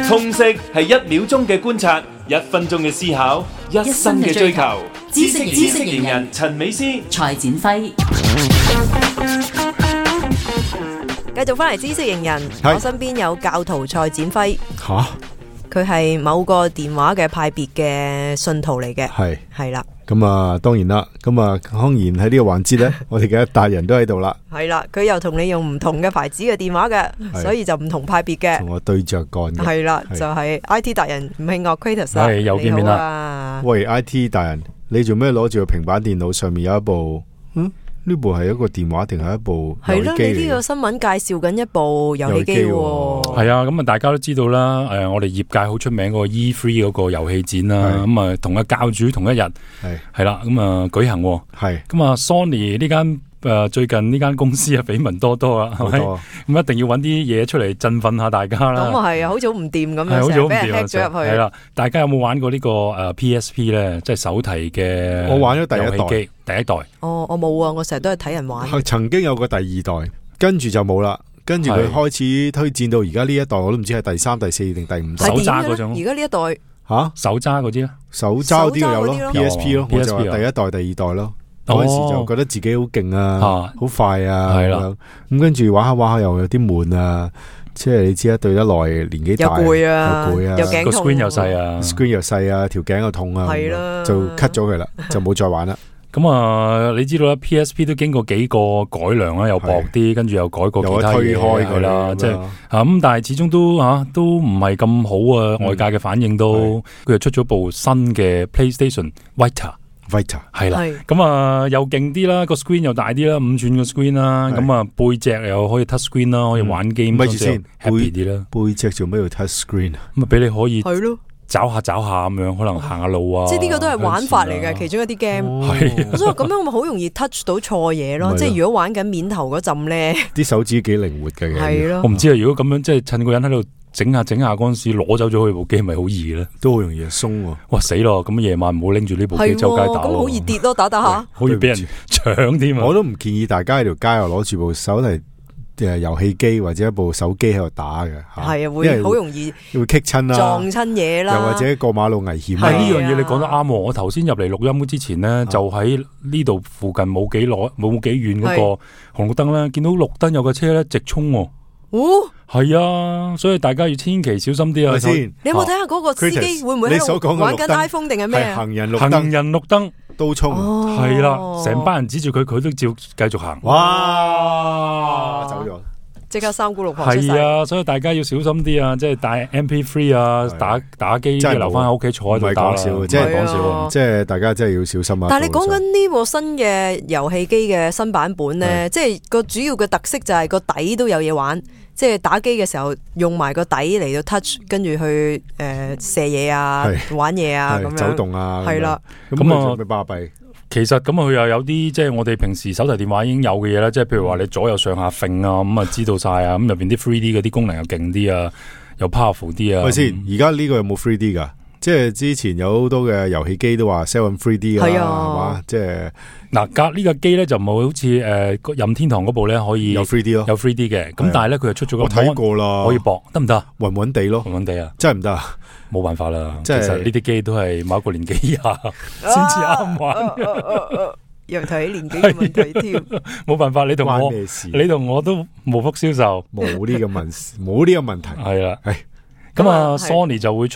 通識係1秒鐘嘅觀察，1分鐘嘅思考，1生嘅追求。知識型人陳美詩、蔡展輝，繼續翻嚟知識型人，我身邊有教徒蔡展輝。吓，佢係某個電話嘅派別嘅信徒嚟嘅，係啦。咁啊，當然啦，咁啊，當然喺呢個環節咧，我哋嘅達人都喺度啦。係啦，佢又同你用唔同嘅牌子嘅電話嘅，所以就唔同派別嘅。同我對着幹嘅。係啦，就係 IT 達人吳慶岳 Kratos 啦。係又見面啦。喂 ，IT 達人，你做咩攞住個平板電腦上面有一部？呢部係一個電話定係一部遊戲機嚟？係咯，你呢個新聞介紹緊一部遊戲機喎。係啊，咁啊，大家都知道啦。我哋業界好出名嗰個 E3 嗰個遊戲展啦。咁啊，同個教主同一日係啦，咁啊舉行。係咁啊 ，Sony 呢間最近呢間公司啊，緋聞多多啊，係咪？咁一定要揾啲嘢出嚟振奮下大家啦。咁啊係啊，好似好唔掂咁樣，成日俾人 hack 咗入去。係啦，大家有冇玩過呢個PSP 咧？即係手提嘅。我玩咗第一代。哦，我冇啊，我成日都係睇人玩。曾經有個第2代，跟住就冇啦。跟住佢開始推薦到而家呢一代，我都唔知係第3、第4定第5代。手揸嗰種。而家呢一代手揸嗰啲咧？手揸啲有咯 ，PSP 咯，我就話第1代、第2代咯。嗰陣時就覺得自己好勁啊，好快啊，係啦。咁跟住玩下玩下又有啲悶啊，即係你知啦，對得耐年紀大又攰啊，又頸痛，個 screen 又細啊，screen 又細啊，條頸又痛啊，係啦，就 cut 咗佢啦，就冇再玩啦。咁啊，你知道啦 ，PSP 都經過幾個改良啦，又薄啲，跟住又改過其他嘢，推開佢啦，即係咁，但係始終都唔係咁好啊，外界嘅反應都，佢又出咗部新嘅 PlayStation Vita 係啦，咁啊又勁啲啦，個 screen 又大啲啦，5寸個 screen 啦，咁啊背脊又可以 touch screen 啦，可以玩 game，咪住先 happy 啲啦。背脊做咩要 touch screen 啊？咁啊俾你可以係咯。找下咁樣，可能行下路啊！即係呢個都係玩法嚟嘅，其中一啲 game。係，我想話咁樣我咪好容易 touch 到錯嘢咯。即係如果玩緊面頭嗰陣咧，啲手指幾靈活嘅。係咯，我唔知啊。如果咁樣，即係趁個人喺度整下嗰陣時攞走咗佢部機，咪好易咧？都好容易鬆喎。哇死咯！咁夜晚唔好拎住呢部機周街打。咁好易跌咯，打下，好易俾人搶添啊！我都唔建議大家喺條街又攞住部手提遊戲機或者一部手機喺度打嘅，係啊，會好容易會棘親啦，撞親嘢啦，又或者過馬路危險。係呢樣嘢你講得啱喎！我頭先入嚟錄音之前呢，就喺呢度附近冇幾遠嗰個紅綠燈咧，見到綠燈有個車咧直衝喎。係啊，所以大家要千祈小心啲啊！先，你有冇睇下嗰個司機會唔會喺度玩緊 iPhone 定係咩啊？行人綠燈都衝，係啦，成班人指住佢，佢都照繼續行。哇，走咗，即刻三姑六婆出晒。係啊，所以大家要小心啲啊！即係帶 MP3 啊，打機即係留翻喺屋企坐喺度打啦。即係講笑，即係大家真係要小心啊！但係你講緊呢部新嘅遊戲機嘅新版本咧，即係個主要嘅特色就係個底都有嘢玩。即係打機嘅時候用埋個底嚟到 touch， 跟住去射嘢啊、玩嘢啊咁樣走動啊，係啦。咁啊，咪巴閉。其實咁佢又有啲即係我哋平時手提電話已經有嘅嘢啦，即係譬如話你左右上下揈啊，咁啊知道晒啊，咁入邊啲 3D 嗰啲功能又勁啲啊，又 powerful 啲啊。喂先，而家呢個有冇 3D 噶？即係之前有好多嘅遊戲機都話 sell3D 啊，係嘛？即係嗱，呢個機咧就冇好似任天堂嗰部咧可以有 3D 咯，有 3D 嘅。咁但係咧佢又出咗個，我睇過啦，可以駁得唔得？暈暈地咯，暈暈地啊，真係唔得，冇辦法啦。其實呢啲機都係某一個年紀以下先至啱玩。又睇年紀嘅問題添，冇辦法，你同我都無福消受，冇呢個問題，係啦，咁啊 ，Sony 就會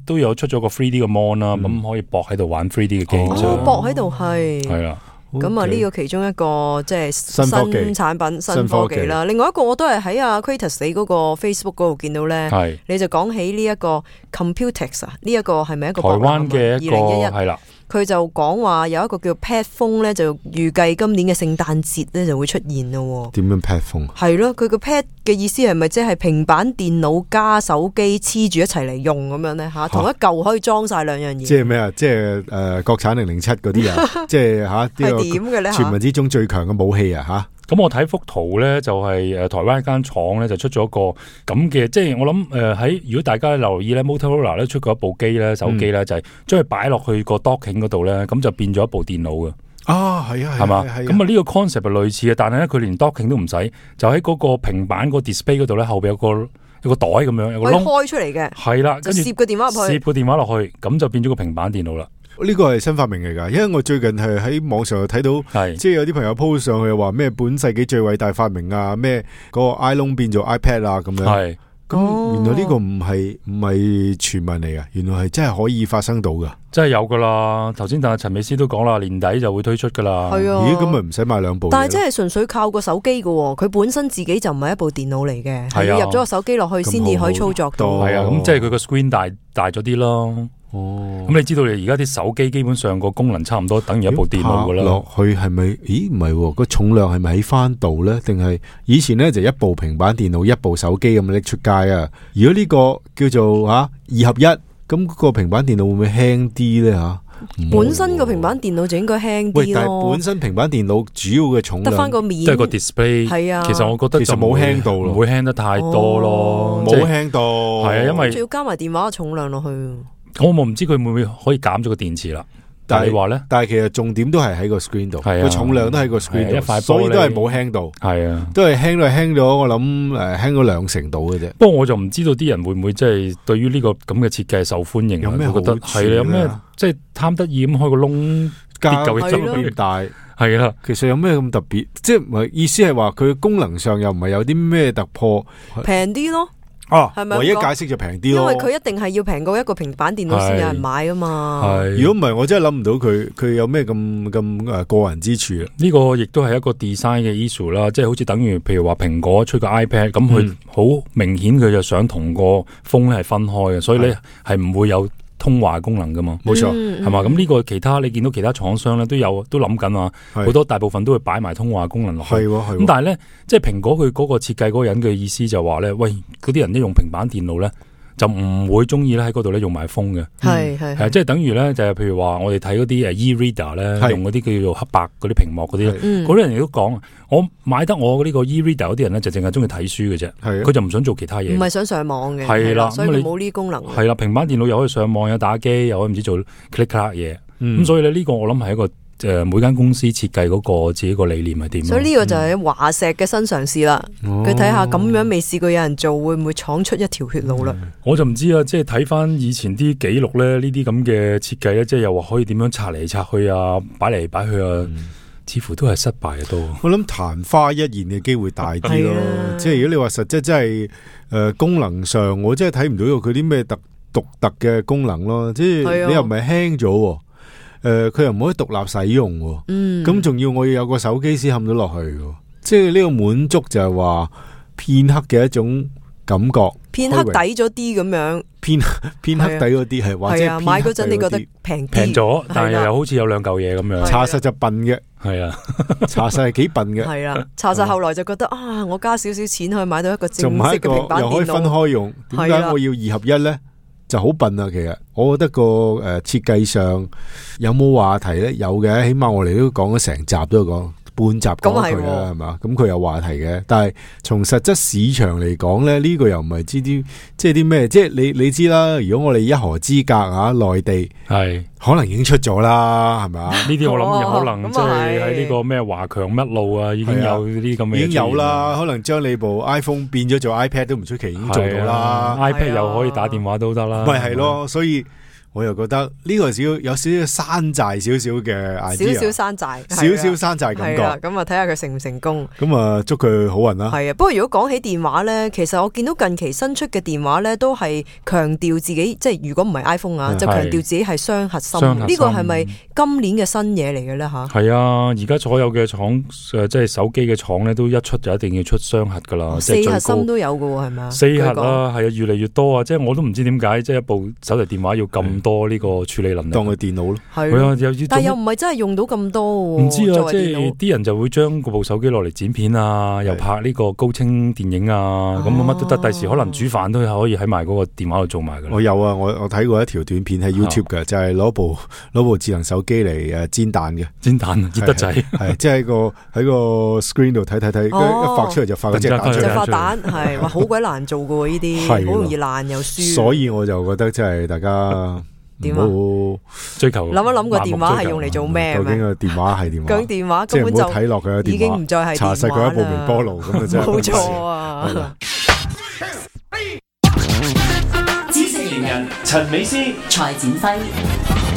都有出咗個 3D 嘅 mon 啦，咁可以駁喺度玩 3D 嘅機。哦，駁喺度係啦。咁啊，呢個其中一個即係新產品、新科技啦。另外一個我都係喺阿 Kratos 你嗰個 Facebook 嗰度見到咧，你就講起呢一個 Computex 啊，呢一個係咪一個台灣嘅一個2011係啦？佢就講話有一個叫 Pad Phone 咧，就預計今年嘅聖誕節咧就會出現咯。點樣 Pad Phone？係咯，佢個 Pad 嘅意思係咪即係平板電腦加手機黐住一齊嚟用咁樣咧？吓，同一嚿可以裝晒兩樣嘢。即係咩啊？即係國產007嗰啲啊？即係吓係點嘅咧？傳聞之中最強嘅武器啊！吓。咁我睇幅圖咧，就係台灣一間廠咧就出咗一個咁嘅，即係我諗喺如果大家留意咧 ，Motorola 咧出過一部機咧，手機咧就係將佢擺落去個 docking 嗰度咧，咁就變咗一部電腦嘅。啊，係啊，係嘛？咁啊呢個 concept 係類似嘅，但係咧佢連 docking 都唔使，就喺嗰個平板個 display 嗰度咧，後邊有個袋咁樣，有個窿開出嚟嘅，係啦，跟住攝個電話入去，攝個電話落去，咁就變咗個平板電腦啦。呢個係新發明嚟噶，因為我最近係喺網上睇到，即係有啲朋友 post 上去話咩本世紀最偉大發明啊，咩嗰個 iPhone 變做 iPad 啊咁樣。係，咁原來呢個唔係傳聞嚟噶，原來係真係可以發生到噶，真係有噶啦。頭先但係陳美斯都講啦，年底就會推出噶啦。係啊，咦，咁咪唔使買兩部？但係真係純粹靠個手機噶，佢本身自己就唔係一部電腦嚟嘅，係要入咗個手機落去先至可以操作到。係啊，咁即係佢個 screen 大咗啲咯。咁你知道你而家啲手機基本上個功能差唔多等於一部電腦噶啦。落去係咪？咦，唔係個重量係咪喺翻度咧？定係以前咧就一部平板電腦一部手機咁拎出街啊？如果呢個叫做2合1，咁個平板電腦會唔會輕啲咧吓？本身個平板電腦就應該輕啲咯。但係本身平板電腦主要嘅重量得翻個面，都係個 display。係啊，其實我覺得其實冇輕到咯，唔會輕得太多咯，冇輕到。係啊，因為仲要加埋電話嘅重量落去。我唔知佢會唔會可以減咗個電池啦。但係你話咧，但係其實重點都係喺個 screen 度，個重量都喺個 screen 度，一塊玻璃，所以都係冇輕到。係啊，都係輕咗，我諗輕咗2成度嘅啫。不過我就唔知道啲人會唔會即係對於呢個咁嘅設計受歡迎，有咩覺得係有咩即係貪得意咁開個窿，加嚿咁大，係啦。其實有咩咁特別？即係意思係話佢功能上又唔係有啲咩突破，平啲咯。係咪唯一解釋就平啲咯？因為佢一定係要平過一個平板電腦先有人買啊嘛。如果唔係，我真係諗唔到佢有咩咁過人之處啊！呢個亦都係一個 design 嘅 issue 啦，即係好似等於譬如話蘋果出個 iPad，咁佢好明顯佢就想同個 phone 咧係分開嘅，所以咧係唔會有通話功能噶嘛，冇錯，係嘛？咁呢個其他你見到其他廠商咧都諗緊啊，好多大部分都會擺埋通話功能落去。咁但係咧，即係蘋果佢嗰個設計嗰個人嘅意思就話咧，喂，嗰啲人一用平板電腦咧，就唔會中意咧喺嗰度咧用埋風嘅。係即係等於咧就係譬如話我哋睇嗰啲e-reader 咧，用嗰啲叫做黑白嗰啲屏幕嗰啲，嗰啲人亦都講，我買得我呢個 e-reader 嗰啲人咧就淨係中意睇書嘅啫，佢就唔想做其他嘢，唔係想上網嘅，係啦，所以冇呢啲功能。係啦，平板電腦又可以上網，有打機，又可以唔知做 click click 嘢，咁所以咧呢個我諗係一個每間公司設計嗰個自己個理念係點。所以呢個就係華碩嘅新嘗試啦。佢睇下咁樣未試過有人做，會唔會闖出一條血路啦？我就唔知啊，即係睇翻以前啲記錄咧，呢啲咁嘅設計咧，即係又話可以點樣拆嚟拆去啊，擺嚟擺去啊。似乎都係失敗嘅都。我諗曇花一現嘅機會大啲咯，即係如果你話實質真係功能上，我真係睇唔到佢啲咩獨特嘅功能咯。即係你又唔係輕咗，佢又唔可以獨立使用，咁仲要我要有個手機先冚到落去，即係呢個滿足就係話片刻嘅一種感覺，片刻抵咗啲咁樣，片刻抵咗啲係，或者買嗰陣你覺得平咗，但係又好似有兩嚿嘢咁樣，查實就笨嘅，係啊，查實係幾笨嘅，係啊，查實後來就覺得啊，我加少少錢可以買到一個正式嘅平板電腦，又可以分開用，點解我要2合1咧？就好笨啊！其實我覺得個設計上有冇話題咧？有嘅，起碼我哋都講咗成集都講。半集講佢啦，係嘛？咁佢有話題嘅，但係從實質市場嚟講咧，呢個又唔係知啲即係啲咩？即係你知啦。如果我哋一河之隔啊，內地係可能已經出咗啦，係咪啊？呢啲我諗有可能即係喺呢個咩華強乜路啊，已經有啲咁嘅嘢，已經有啦。可能將你部 iPhone 變咗做 iPad 都唔出奇，已經做到啦。iPad 又可以打電話都得啦。咪係咯，所以。我又覺得呢個有少少山寨少少嘅 idea，少少山寨，少少山寨感覺。咁啊睇下佢成唔成功。咁啊祝佢好運啦。係啊，不過如果講起電話咧，其實我見到近期新出嘅電話咧，都係強調自己，即係如果唔係 iPhone 啊，就強調自己係雙核心。呢個係咪今年嘅新嘢嚟嘅咧？吓，係啊，而家所有嘅廠即係手機嘅廠咧，都一出就一定要出雙核噶啦。4核心都有嘅喎，係咪啊？4核啊，係啊，越嚟越多啊！即係我都唔知點解，即係一部手提電話要咁多呢個處理能力，當佢電腦咯，係啊，但係又唔係真係用到咁多喎。唔知啊，即係啲人就會將嗰部手機落嚟剪片啊，又拍呢個高清電影啊，咁乜都得。第時可能煮飯都可以喺埋嗰個電話度做埋噶。我有啊，我睇過一條短片喺 YouTube 嘅，就係攞部智能手機嚟煎蛋嘅，煎蛋熱得滯，係即係喺個 screen 度睇，一發出嚟就發嗰隻蛋出嚟，就發蛋，係話好鬼難做噶喎，呢啲好容易爛又輸。所以我就覺得即係大家點啊？追求諗一諗個電話係用嚟做咩？究竟個電話係點？究竟電話根本就睇落佢已經唔再係查實佢一部微波爐咁啊！真係冇錯啊！知識型人陳美斯、蔡展輝。